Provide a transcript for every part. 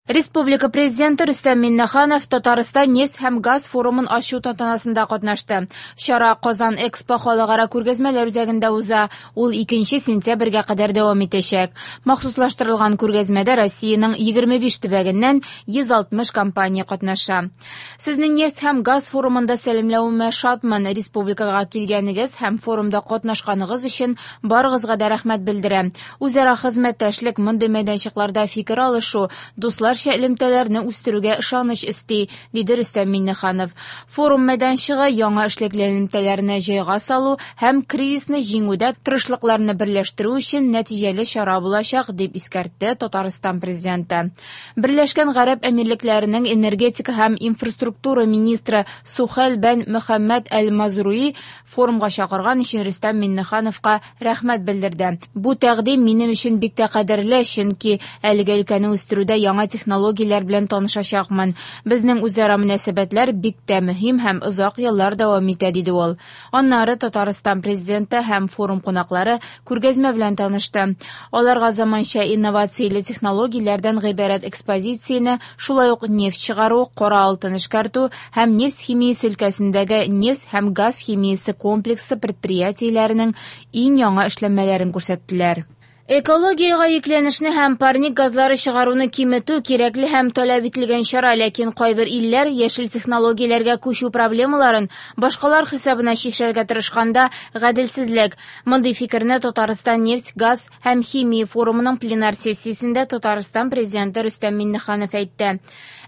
Республика Президенты Рөстәм Миңнеханов Татарстан нефть һәм газ форумын ачу тантанасында катнашты. Чара Казан Экспо халыкара күргәзмәләр үзәгендә уза. Ул 2 сентябрьгә кадәр дәвам итәчәк. Махсуслаштырылган күргәзмәдә Россиянең 25 төбәгеннән 160 компания катнаша. Сезне нефть һәм газ форумында сәламләвемә шатмын. Республикага килгәнегез һәм форумда катнашканыгыз өчен барыгызга да рәхмәт белдерәм. Үзара хезмәттәшлек мондый мәйданчыкларда фикер алышу, дусларча элемтәләрне үстерүгә ышаныч өсти, диде Рөстәм Миңнеханов. Форум мәйданчыгы яңа эшлекле элемтәләрне җайга салу һәм кризисны җиңүдә тырышлыкларны берләштерү өчен нәтиҗәле чара булачак, дип искәртте Татарстан президенты. Берләшкән Гарәп Әмирлекләренең энергетика һәм инфраструктура министры Сухель бен Мөхәммәд әл-Мазруи форумга чакырган өчен Рөстәм Миңнехановка рәхмәт белдерде. Бу тәкъдим минем өчен бик тә кадерле, чөнки әлеге өлкәне үстерүдә яңа технологияләр белән танышачакмын. Безнең үзара мөнәсәбәтләр бик тә мөһим һәм озак еллар дәвам итә, диде ул. Аннары Татарстан президенты һәм форум кунаклары күргәзмә белән танышты. Аларга заманча инновацияле технологияләрдән гыйбарәт экспозицияне, шулай ук нефть чыгару, кара алтын эшкәртү һәм нефть химиясе өлкәсендәге нефть һәм газ химиясе комплексы предприятиеләренең иң яңа эшләнмәләрен күрсәттеләр. Экологиягә йөкләнешне һәм парник газлары чыгаруны киметү кирәкле һәм таләп ителгән чара, ләкин кайбер илләр яшел технологияләргә күчү проблемаларын башкалар хисабына чишәргә тырышканда гаделсезлек. Мондый фикерне Татарстан нефть, газ һәм химия форумының пленар сессиясендә Татарстан президенты Рөстәм Миңнеханов әйтте.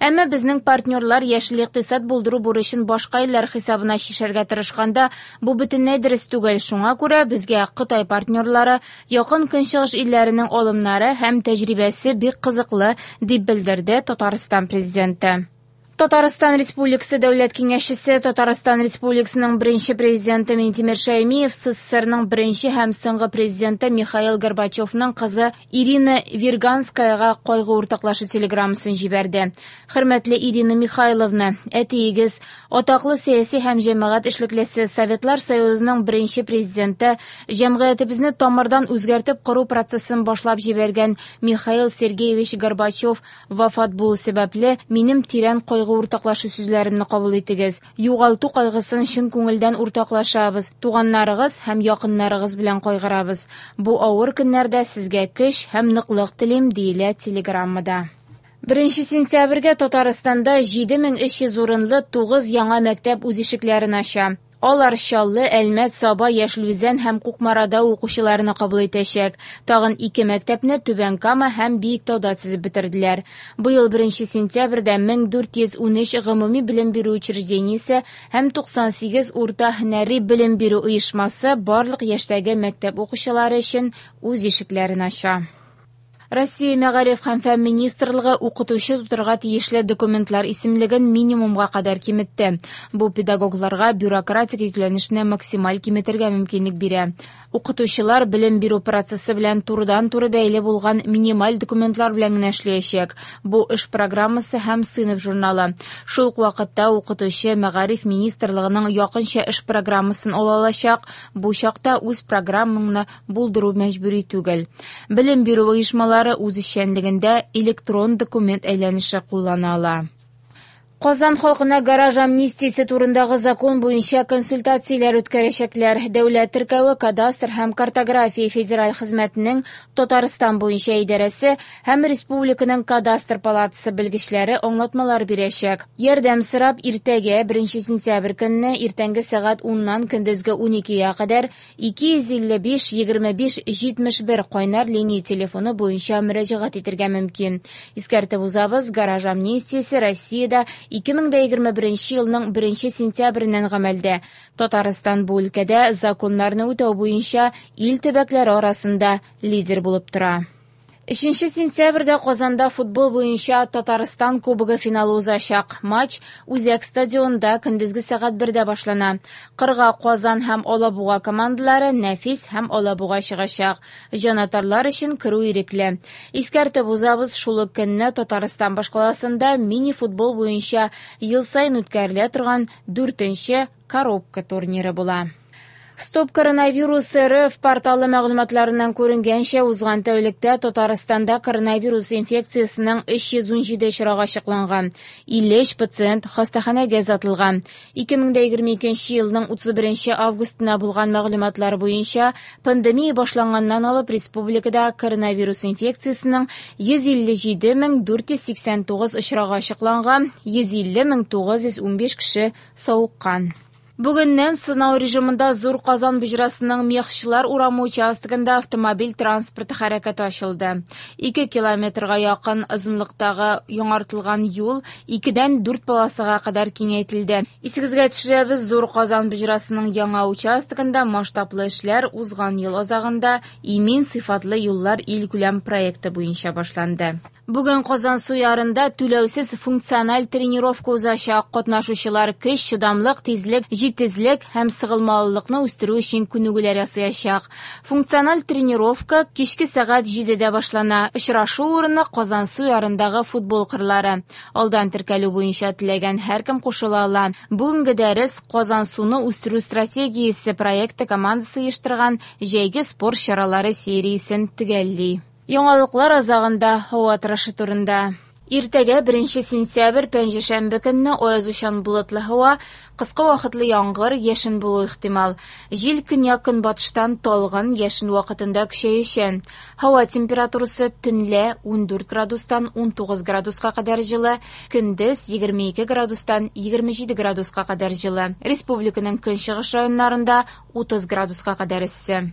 Әмма безнең партнерлар яшел икътисад булдыру бурычын башка илләр хисабына чишәргә тырышканда бу бөтенләй дөрес түгел. Шуңа күрә безгә Кытай партнерлары, Якын Көнчыгыш илләренең алымнары һәм тәҗрибәсе бик кызыклы, дип белдерде Татарстан президенты. Татарстан Республикасы Дәүләт Киңәшчесе, Татарстан Республикасының беренче президенты Минтимер Шәймиев СССРның беренче һәм соңгы президенты Михаил Горбачевның кызы Ирина Вирганскаяга кайгы уртаклашу телеграммасын җибәрде. Хөрмәтле Ирина Михайловна, әтиегез, атаклы сәяси һәм җәмәгать эшлеклесе, Советлар Союзының беренче президенты, җәмгыятебезне тамырдан үзгәртеп кору процессын башлап җибәргән Михаил Сергеевич Горбачев вафат булу сәбәпле, минем тирән кайгы уртаклашу сүзләремне кабул итегез. Югалту кайгысын чын күңелдән уртаклашабыз, туганнарыгыз һәм якыннарыгыз белән кайгырабыз. Бу авыр көннәрдә сезгә көч һәм ныклык телим, диелә телеграммада. 1 сентябрьгә Татарстанда 7300 урынлы 9 яңа мәктәп үз ишекләрен ача. Алар Чаллы, Әлмәт, Саба, Яшел Үзән һәм Кукмарада укучыларны кабул итәчәк. Тагын 2 мәктәпне Түбән Кама һәм Биектауда төзеп бетерделәр. Быел 1 сентябрьдә 1413 гомуми белем бирү учреждениесе һәм 98 урта һөнәри белем бирү оешмасы барлык яшьтәге мәктәп укучылары өчен үз ишекләрен ача. Россия Мәгариф һәм фән министрлыгы укытучы тотырга тиешле документлар исемлеген минимумга кадәр киметте. Бу педагогларга бюрократик йөкләнешне максималь киметергә мөмкинлек бирә. Укытучылар белем бирү процессы белән турыдан-туры бәйле булган минималь документлар белән генә эшләячәк. Бу эш программасы һәм сыйныф журналы. Шул ук вакытта укытучы Мәгариф министрлыгының якынча эш программасын ала алачак. Бу чакта үз программаңны булдыру мәҗбүри түгел. Белем бирү оешмалары үз эшчәнлегендә электрон документ әйләнеше куллана ала. Казан халкына гараж амнистиясе турындагы закон буенча консультацияләр үткәрәчәкләр. Дәүләт теркәве, кадастр һәм картография федераль хезмәтенең Татарстан буенча идарәсе һәм республиканың кадастр палатасы белгечләре аңлатмалар бирәчәк. Ярдәм сорап иртәгә 1 сентябрь көнне иртәнге сәгать 10-нан көндезге 12-гә кадәр 255 25 71 кайнар линия телефоны буенча мөрәҗәгать итәргә мөмкин. Искәртеп узабыз, гараж амнистиясе Россиядә 2021 елның 1 сентябреннән гамәлдә. Татарстан бу өлкәдә законнарны үтәү буенча ил төбәкләре арасында лидер булып тора. 3 сентябрьдә Казанда футбол буенча Татарстан Кубогы финалы узачак. Матч Үзәк стадионда көндезге сәгать 1-дә башлана. Кырга Казан һәм Алабуга командалары Нәфис һәм Алабуга чыгачак. Җанатарлар өчен керү ирекле. Искәртеп узабыз, шул ук көнне Татарстан башкаласында мини-футбол буенча ел саен үткәрелә торган 4-нче коробка турниры була. Стоп коронавирус РФ порталы мәгълүматларыннан күренгәнчә, узган тәүлектә Татарстанда коронавирус инфекциясенең 317 очрагы ачыкланган. 53 пациент хастаханәгә озатылган. 2022 елның 31 августына булган мәгълүматлар буенча, пандемия башланганнан алып республикада коронавирус инфекциясенең 157 489 очрагы ачыкланган, 150 915 кеше савыккан. Бүгеннән сынау режимында Зур Казан боҗрасының Мехчылар урамы участогында автомобиль транспорты хәрәкәте ачылды. 2 километрга якын озынлыктагы яңартылган юл 2-дән 4 полосага кадәр киңәйтелде. Исегезгә төшерәбез, Зур Казан боҗрасының яңа участогында масштаблы эшләр узган ел азагында Имин сыйфатлы юллар илкүләм проекты буенча башланды. Бүген Казансу ярында түләүсез функциональ тренировка узачак. Катнашучылар көч, чыдамлык, тизлек, җитезлек һәм сыгылмалылыкны үстерү өчен күнегүләр ясаячак. Функциональ тренировка кичке сәгать 7дә башлана. Очрашу урыны Казансу ярындагы футбол кырлары. Алдан теркәлү буенча теләгән һәркем кушыла ала. Бүгенге дәрес Казансуны үстерү стратегиясе проекты командасы оештырган җәйге спорт чаралары сериясен төгәлли. Яңалыклар азагында һава торышы турында. Иртәгә 1 сентябрь пәнҗешәмбе көнне аязучан болытлы һава, кыска вакытлы яңгыр, яшен булу ихтимал. Җил көньяк-көнбатыштан талгын, яшен вакытында көчәючән. Һава температурасы төнлә 14 градустан 19 градуска кадәр җылы, көндез 22 градустан 27 градуска кадәр җылы. Республиканың көнчыгыш районнарында 30 градуска кадәр эссе.